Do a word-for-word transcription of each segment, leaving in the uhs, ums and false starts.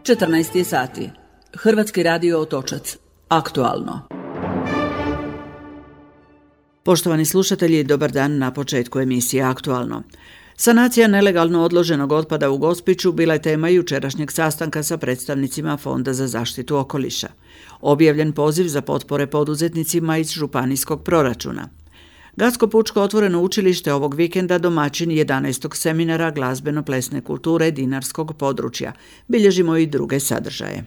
četrnaest je sati. Hrvatski radio Otočac. Aktualno. Poštovani slušatelji, dobar dan na početku emisije Aktualno. Sanacija nelegalno odloženog otpada u Gospiću bila je tema jučerašnjeg sastanka sa predstavnicima Fonda za zaštitu okoliša. Objavljen poziv za potpore poduzetnicima iz županijskog proračuna. Gacko-Pučko otvoreno učilište ovog vikenda domaćin jedanaestog seminara glazbeno-plesne kulture dinarskog područja. Bilježimo i druge sadržaje.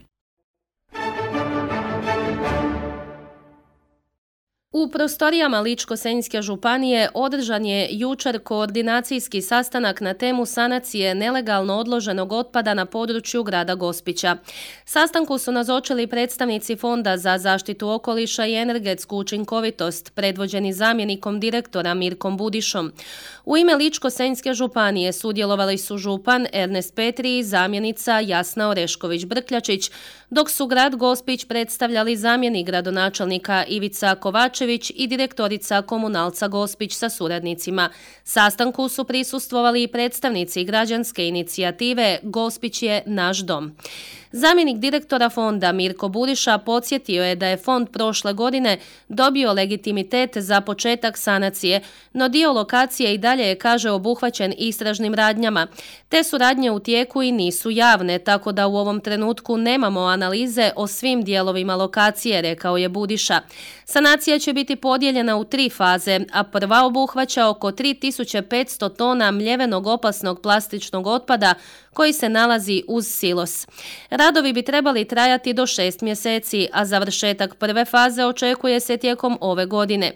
U prostorijama Ličko-senjske županije održan je jučer koordinacijski sastanak na temu sanacije nelegalno odloženog otpada na području grada Gospića. Sastanku su nazočili predstavnici Fonda za zaštitu okoliša i energetsku učinkovitost, predvođeni zamjenikom direktora Mirkom Budišom. U ime Ličko-senjske županije sudjelovali su župan Ernest Petri i zamjenica Jasna Orešković-Brkljačić, dok su grad Gospić predstavljali zamjenik gradonačelnika Ivica Kovačević i direktorica Komunalca Gospić sa suradnicima. Sastanku su prisustvovali i predstavnici građanske inicijative Gospić je naš dom. Zamjenik direktora fonda Mirko Budiša podsjetio je da je fond prošle godine dobio legitimitet za početak sanacije, no dio lokacije i dalje je, kaže, obuhvaćen istražnim radnjama. Te su radnje u tijeku i nisu javne, tako da u ovom trenutku nemamo analize o svim dijelovima lokacije, rekao je Budiša. Sanacija će biti podijeljena u tri faze, a prva obuhvaća oko tri tisuće petsto tona mljevenog opasnog plastičnog otpada koji se nalazi uz silos. Radovi bi trebali trajati do šest mjeseci, a završetak prve faze očekuje se tijekom ove godine.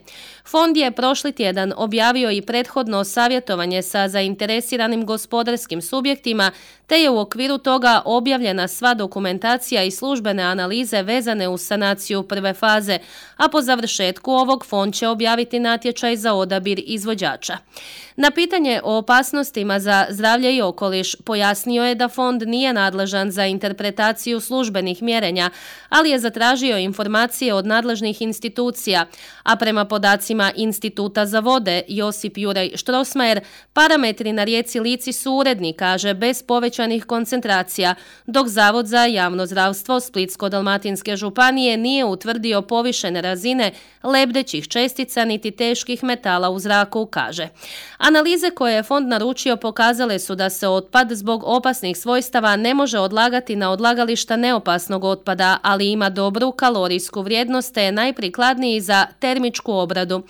Fond je prošli tjedan objavio i prethodno savjetovanje sa zainteresiranim gospodarskim subjektima, te je u okviru toga objavljena sva dokumentacija i službene analize vezane uz sanaciju prve faze, a po završetku ovog fond će objaviti natječaj za odabir izvođača. Na pitanje o opasnostima za zdravlje i okoliš pojasnio je da fond nije nadležan za interpretaciju službenih mjerenja, ali je zatražio informacije od nadležnih institucija, a prema podacima Instituta za vode Josip Jurej Štrosmajer, parametri na rijeci Lici su uredni, kaže, bez povećanih koncentracija, dok Zavod za javno zdravstvo Splitsko-dalmatinske županije nije utvrdio povišene razine lebdećih čestica niti teških metala u zraku, kaže. Analize koje je fond naručio pokazale su da se otpad zbog opasnih svojstava ne može odlagati na odlagališta neopasnog otpada, ali ima dobru kalorijsku vrijednost te je najprikladniji za termičku obradu.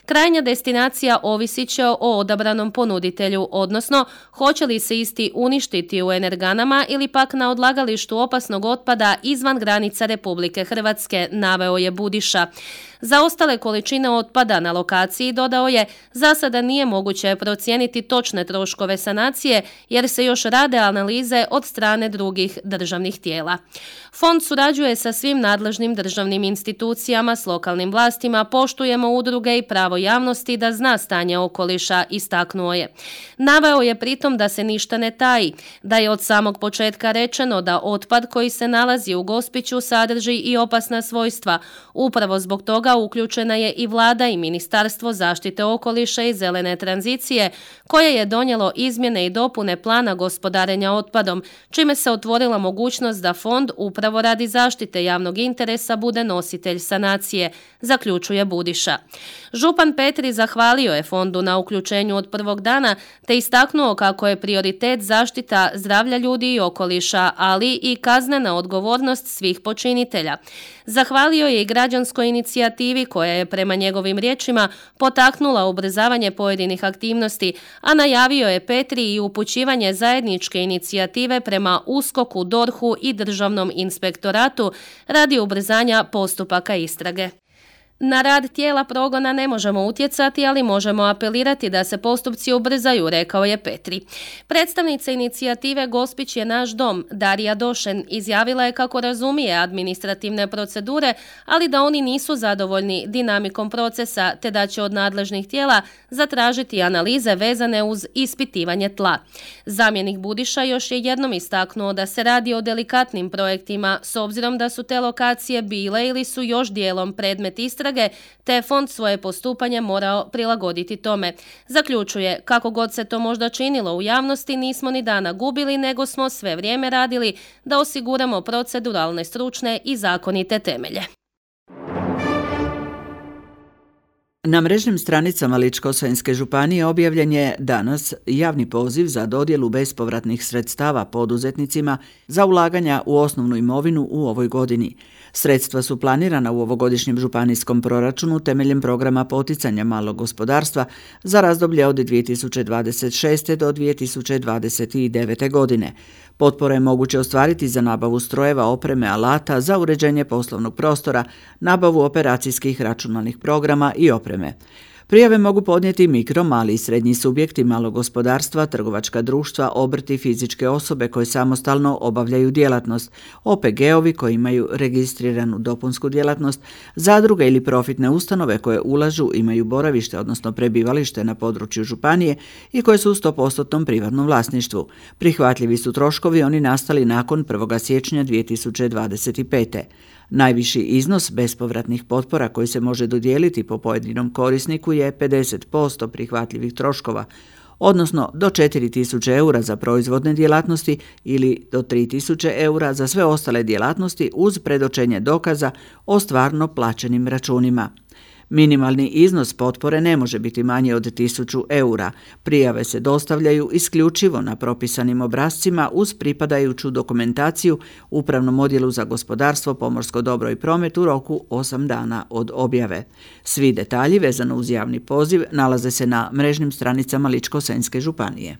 Krajnja destinacija ovisit će o odabranom ponuditelju, odnosno hoće li se isti uništiti u energanama ili pak na odlagalištu opasnog otpada izvan granica Republike Hrvatske, naveo je Budiša. Za ostale količine otpada na lokaciji, dodao je, za sada nije moguće procijeniti točne troškove sanacije jer se još rade analize od strane drugih državnih tijela. Fond surađuje sa svim nadležnim državnim institucijama, s lokalnim vlastima, poštujemo udruge i pravo javnosti da zna stanje okoliša, istaknuo je. Naveo je pritom da se ništa ne taji, da je od samog početka rečeno da otpad koji se nalazi u Gospiću sadrži i opasna svojstva. Upravo zbog toga uključena je i vlada i Ministarstvo zaštite okoliša i zelene tranzicije, koje je donijelo izmjene i dopune plana gospodarenja otpadom, čime se otvorila mogućnost da fond upravo radi zaštite javnog interesa bude nositelj sanacije, zaključuje Budiša. Župan Petri zahvalio je fondu na uključenju od prvog dana te istaknuo kako je prioritet zaštita zdravlja ljudi i okoliša, ali i kaznena odgovornost svih počinitelja. Zahvalio je i građanskoj inicijativi koja je prema njegovim riječima potaknula ubrzavanje pojedinih aktivnosti, a najavio je Petri i upućivanje zajedničke inicijative prema USKOK-u, DORH-u i Državnom inspektoratu radi ubrzanja postupaka istrage. Na rad tijela progona ne možemo utjecati, ali možemo apelirati da se postupci ubrzaju, rekao je Petri. Predstavnica inicijative Gospić je naš dom, Darija Došen, izjavila je kako razumije administrativne procedure, ali da oni nisu zadovoljni dinamikom procesa, te da će od nadležnih tijela zatražiti analize vezane uz ispitivanje tla. Zamjenik Budiša još je jednom istaknuo da se radi o delikatnim projektima, s obzirom da su te lokacije bile ili su još dijelom predmet istrage, snage, te je fond svoje postupanje morao prilagoditi tome. Zaključuje, kako god se to možda činilo u javnosti, nismo ni dana gubili, nego smo sve vrijeme radili da osiguramo proceduralne, stručne i zakonite temelje. Na mrežnim stranicama Ličko-senjske županije objavljen je danas javni poziv za dodjelu bespovratnih sredstava poduzetnicima za ulaganja u osnovnu imovinu u ovoj godini. Sredstva su planirana u ovogodišnjem županijskom proračunu temeljem programa poticanja malog gospodarstva za razdoblje od dvije tisuće dvadeset šeste. do dvije tisuće dvadeset devete. godine. Potpore je moguće ostvariti za nabavu strojeva, opreme, alata, za uređenje poslovnog prostora, nabavu operacijskih računalnih programa i opreme. Prijave mogu podnijeti mikro, mali i srednji subjekti malog gospodarstva, trgovačka društva, obrti, fizičke osobe koje samostalno obavljaju djelatnost, O P G-ovi koji imaju registriranu dopunsku djelatnost, zadruge ili profitne ustanove koje ulažu, imaju boravište odnosno prebivalište na području županije i koje su u sto posto privatnom vlasništvu. Prihvatljivi su troškovi oni nastali nakon prvog siječnja dvije tisuće dvadeset pete. Najviši iznos bespovratnih potpora koji se može dodijeliti po pojedinom korisniku je pedeset posto prihvatljivih troškova, odnosno do četiri tisuće eura za proizvodne djelatnosti ili do tri tisuće eura za sve ostale djelatnosti uz predočenje dokaza o stvarno plaćenim računima. Minimalni iznos potpore ne može biti manji od tisuću eura. Prijave se dostavljaju isključivo na propisanim obrascima uz pripadajuću dokumentaciju Upravnom odjelu za gospodarstvo, pomorsko dobro i promet u roku osam dana od objave. Svi detalji vezano uz javni poziv nalaze se na mrežnim stranicama Ličko-senjske županije.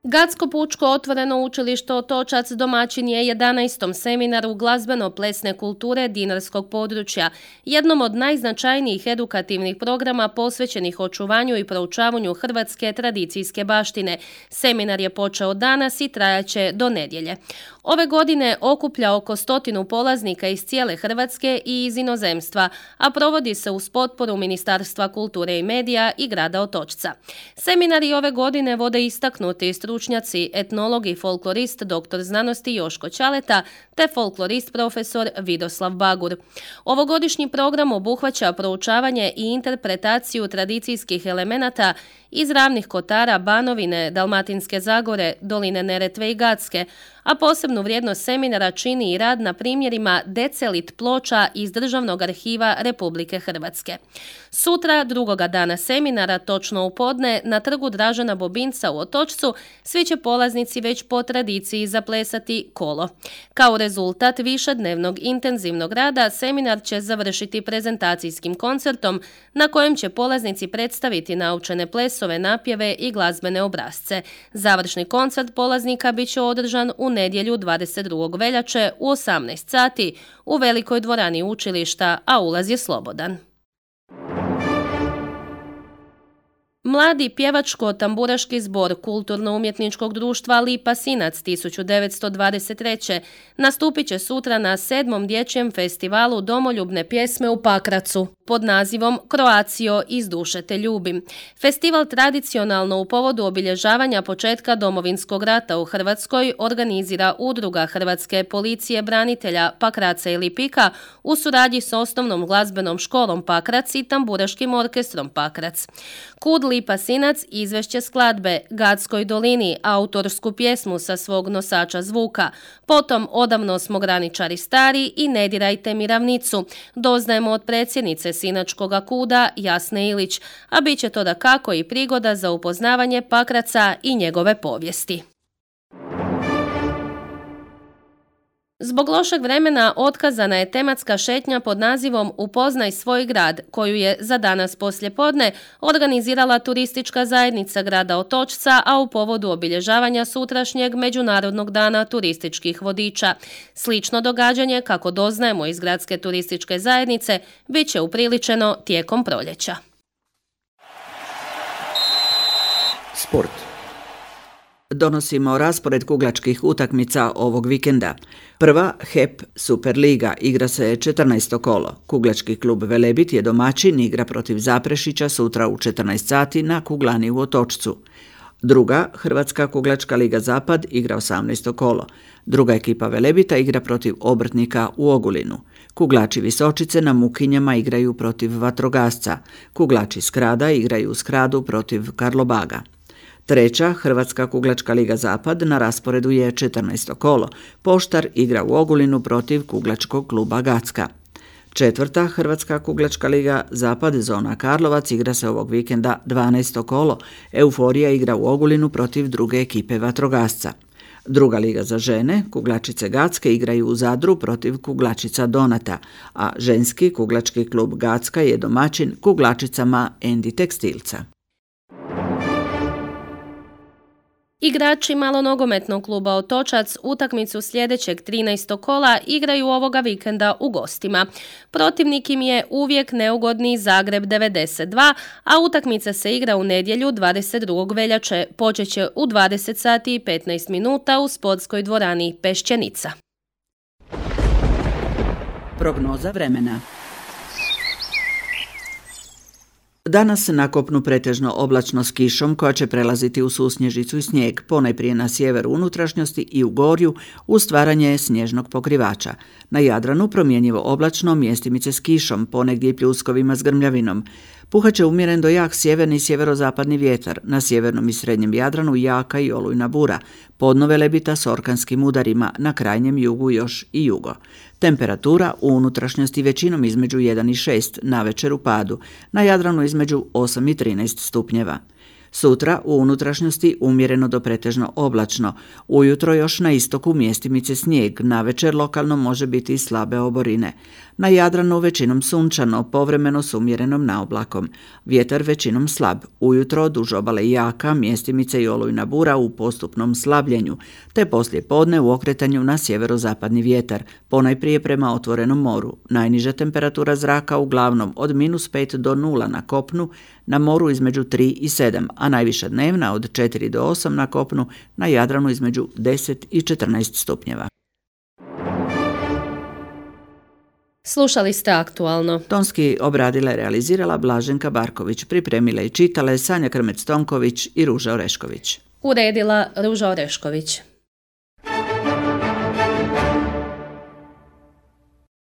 Gradsko pučko otvoreno učilište Otočac domaćin je jedanaestom seminaru glazbeno-plesne kulture dinarskog područja, jednom od najznačajnijih edukativnih programa posvećenih očuvanju i proučavanju hrvatske tradicijske baštine. Seminar je počeo danas i trajaće do nedjelje. Ove godine okuplja oko stotinu polaznika iz cijele Hrvatske i iz inozemstva, a provodi se uz potporu Ministarstva kulture i medija i grada Otočca. Seminari ove godine vode istaknuti stručnjaci, etnolog i folklorist doktor znanosti Joško Ćaleta te folklorist profesor Vidoslav Bagur. Ovogodišnji program obuhvaća proučavanje i interpretaciju tradicijskih elemenata iz Ravnih Kotara, Banovine, Dalmatinske Zagore, Doline Neretve i Gacke, a posebnu vrijednost seminara čini i rad na primjerima decelit ploča iz Državnog arhiva Republike Hrvatske. Sutra, drugoga dana seminara, točno u podne, na trgu Dražena Bobinca u Otočcu, svi će polaznici već po tradiciji zaplesati kolo. Kao rezultat višednevnog intenzivnog rada, seminar će završiti prezentacijskim koncertom na kojem će polaznici predstaviti naučene plesove, napjeve i glazbene obrasce. Završni koncert polaznika bit će održan u nedjelju dvadeset drugog veljače u osamnaest sati u velikoj dvorani učilišta, a ulaz je slobodan. Mladi pjevačko-tamburaški zbor Kulturno-umjetničkog društva Lipa Sinac tisuću devetsto dvadeset treće nastupit će sutra na sedmom dječjem festivalu domoljubne pjesme u Pakracu pod nazivom Croatio iz duše te ljubim. Festival tradicionalno u povodu obilježavanja početka Domovinskog rata u Hrvatskoj organizira Udruga Hrvatske policije branitelja Pakraca i Lipika u suradnji s osnovnom glazbenom školom Pakrac i tamburaškim orkestrom Pakrac. Kud Lipa Sinac izvešće skladbe Gadskoj dolini, autorsku pjesmu sa svog nosača zvuka, potom Odavno smo graničari stari i Ne dirajte mi ravnicu, doznajemo od predsjednice Sinačkoga kuda Jasne Ilić, a bit će to dakako i prigoda za upoznavanje Pakraca i njegove povijesti. Zbog lošeg vremena otkazana je tematska šetnja pod nazivom Upoznaj svoj grad, koju je za danas poslijepodne organizirala turistička zajednica grada Otočca, a u povodu obilježavanja sutrašnjeg Međunarodnog dana turističkih vodiča. Slično događanje, kako doznajemo iz gradske turističke zajednice, bit će upriličeno tijekom proljeća. Sport. Donosimo raspored kuglačkih utakmica ovog vikenda. Prva, H E P Superliga, igra se četrnaesto kolo. Kuglački klub Velebit je domaćin, igra protiv Zaprešića sutra u četrnaest sati na kuglani u Otočcu. Druga, Hrvatska kuglačka liga Zapad, igra osamnaesto kolo. Druga ekipa Velebita igra protiv Obrtnika u Ogulinu. Kuglači Visočice na Mukinjama igraju protiv Vatrogasca. Kuglači Skrada igraju u Skradu protiv Karlobaga. Treća, Hrvatska kuglačka liga Zapad, na rasporedu je četrnaesto kolo. Poštar igra u Ogulinu protiv kuglačkog kluba Gacka. Četvrta, Hrvatska kuglačka liga Zapad, zona Karlovac, igra se ovog vikenda dvanaesto kolo. Euforija igra u Ogulinu protiv druge ekipe Vatrogasca. Druga liga za žene, kuglačice Gacke igraju u Zadru protiv kuglačica Donata, a ženski kuglački klub Gacka je domaćin kuglačicama Endi Tekstilca. Igrači malonogometnog kluba Otočac utakmicu sljedećeg trinaestog kola igraju ovoga vikenda u gostima. Protivnik im je uvijek neugodni Zagreb devedeset dva, a utakmica se igra u nedjelju dvadeset drugog veljače. Počet će u dvadeset sati i petnaest minuta u sportskoj dvorani Pešćenica. Prognoza vremena. Danas na kopnu pretežno oblačno s kišom koja će prelaziti u susnježicu i snijeg, ponajprije na sjeveru unutrašnjosti i u gorju uz stvaranje snježnog pokrivača. Na Jadranu promjenjivo oblačno, mjestimice s kišom, ponegdje i pljuskovima s grmljavinom. Puhaće umjeren do jak sjeverni i sjeverozapadni vjetar, na sjevernom i srednjem Jadranu jaka i olujna bura, podno Velebita s orkanskim udarima, na krajnjem jugu još i jugo. Temperatura u unutrašnjosti većinom između jedan i šest, navečer u padu, na Jadranu između osam i trinaest stupnjeva. Sutra u unutrašnjosti umjereno do pretežno oblačno, ujutro još na istoku mjestimice snijeg, navečer lokalno može biti i slabe oborine. Na Jadranu većinom sunčano, povremeno s umjerenom naoblakom. Vjetar većinom slab, ujutro duž obale jaka, mjestimice i olujna bura u postupnom slabljenju, te poslije podne u okretanju na sjeverozapadni vjetar, ponajprije prema otvorenom moru. Najniža temperatura zraka uglavnom od minus pet do nula na kopnu, na moru između tri i sedam, a najviša dnevna od četiri do osam na kopnu, na Jadranu između deset i četrnaest stupnjeva. Slušali ste Aktualno. Tonski obradila i realizirala Blaženka Barković, pripremile i čitale Sanja Krmec-Tonković i Ruža Orešković. Uredila Ruža Orešković.